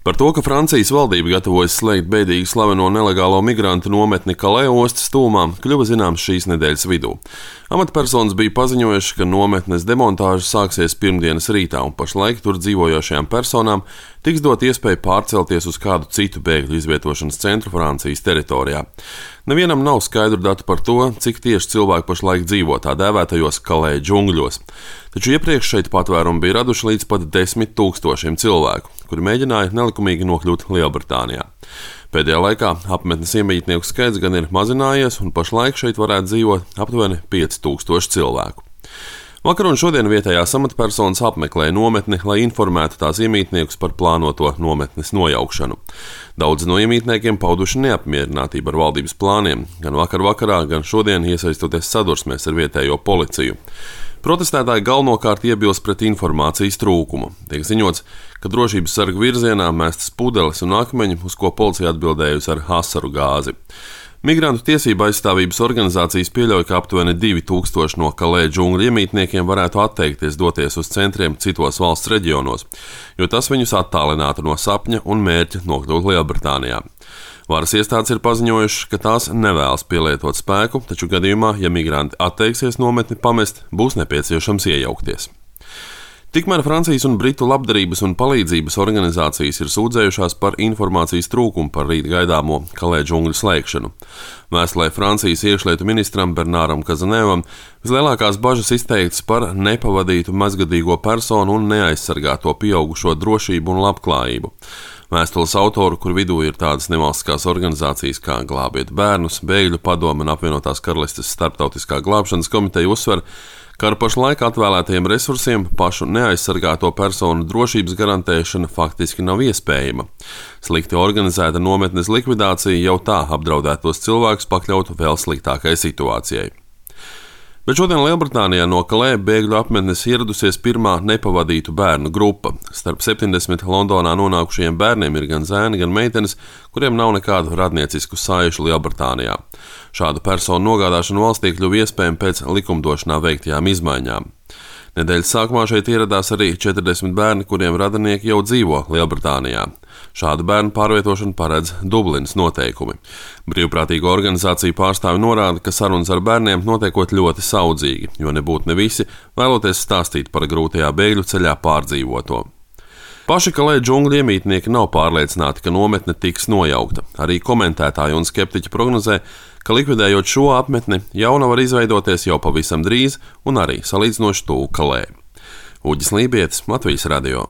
Par to, ka Francijas valdība gatavojas slēgt bēdīgi slaveno nelegālo migrantu nometni Calais ostas tūmā, kļuva zināms šīs nedēļas vidū. Amatpersonas bija paziņojuši, ka nometnes demontāža sāksies pirmdienas rītā, un pašlaik tur dzīvojošajām personām tiks dot iespēja pārcelties uz kādu citu bēgļu izvietošanas centru Francijas teritorijā. Nevienam nav skaidru datu par to, cik tieši cilvēki pašlaik dzīvo tā dēvētajos Calais džungļos. Taču iepriekš šeit patvērumu bija raduši līdz pat 10 000 cilvēku, kuri mēģināja nelikumīgi nokļūt Lielbritānijā. Pēdējā laikā apmetnes iemītnieku skaits gan ir mazinājies, un pašlaik šeit varētu dzīvot aptuveni 5000 cilvēku. Vakar un šodien vietējās amatpersonas apmeklēja nometni, lai informētu tās iemītniekus par plānoto nometnes nojaukšanu. Daudzi no iemītniekiem pauduši neapmierinātību ar valdības plāniem, gan vakar vakarā, gan šodien iesaistoties sadursmēs ar vietējo policiju. Protestētāji galvenokārt iebilst pret informācijas trūkumu. Tiek ziņots, ka drošības sargu virzienā mestas pudeles un akmeņi, uz ko policija atbildējusi ar asaru gāzi. Migrantu tiesību aizstāvības organizācijas pieļauj, ka aptuveni 2000 no Calais džungļu iemītniekiem varētu atteikties doties uz centriem citos valsts reģionos, jo tas viņus attālinātu no sapņa un mērķa nokļūt Lielbritānijā. Varas iestādes ir paziņojušas, ka tās nevēlas pielietot spēku, taču gadījumā, ja migranti atteiksies nometni pamest, būs nepieciešams iejaukties. Tikmēr Francijas un Britu labdarības un palīdzības organizācijas ir sūdzējušās par informācijas trūkumu par rīt gaidāmo Calais džungļu slēgšanu. Vēstulē Francijas iekšlietu ministram Bernāram Kazanevam vislielākās bažas izteiktas par nepavadītu mazgadīgo personu un neaizsargāto pieaugušo drošību un labklājību. Vēstules autoru, kur vidū ir tādas nevalstiskās organizācijas kā Glābiet bērnus, Bēgļu padome un Apvienotās Karalistes starptautiskā glābšanas komiteja uzsver, ka ar pašlaik atvēlētajiem resursiem pašu neaizsargāto personu drošības garantēšana faktiski nav iespējama. Slikti organizēta nometnes likvidācija jau tā apdraudētos cilvēkus pakļautu vēl sliktākai situācijai. Bet šodien Lielbritānijā no Calais bēgļu apmetnes ieradusies pirmā nepavadītu bērnu grupa. Starp 70 Londonā nonākušajiem bērniem ir gan zēni, gan meitenes, kuriem nav nekādu radniecisku saišu Lielbritānijā. Šādu personu nogādāšanu valstī kļuva iespējama pēc likumdošanā veiktajām izmaiņām. Nedēļas sākumā šeit ieradās arī 40 bērni, kuriem radinieki jau dzīvo Lielbritānijā. Šādu bērnu pārvietošanu paredz Dublinas noteikumi. Brīvprātīgo organizāciju pārstāvi norāda, ka sarunas ar bērniem notiekot ļoti saudzīgi, jo nebūtu ne visi vēloties stāstīt par grūtajā bēgļu ceļā pārdzīvoto. Paši Calais džungļu iemītnieki nav pārliecināti, ka nometne tiks nojaukta. Arī komentētāji un skeptiķi prognozē, ka likvidējot šo apmetni, jauna var izveidoties jau pavisam drīz un arī salīdzinoši tuvu Calais. Uģis Lībietis, Latvijas radio.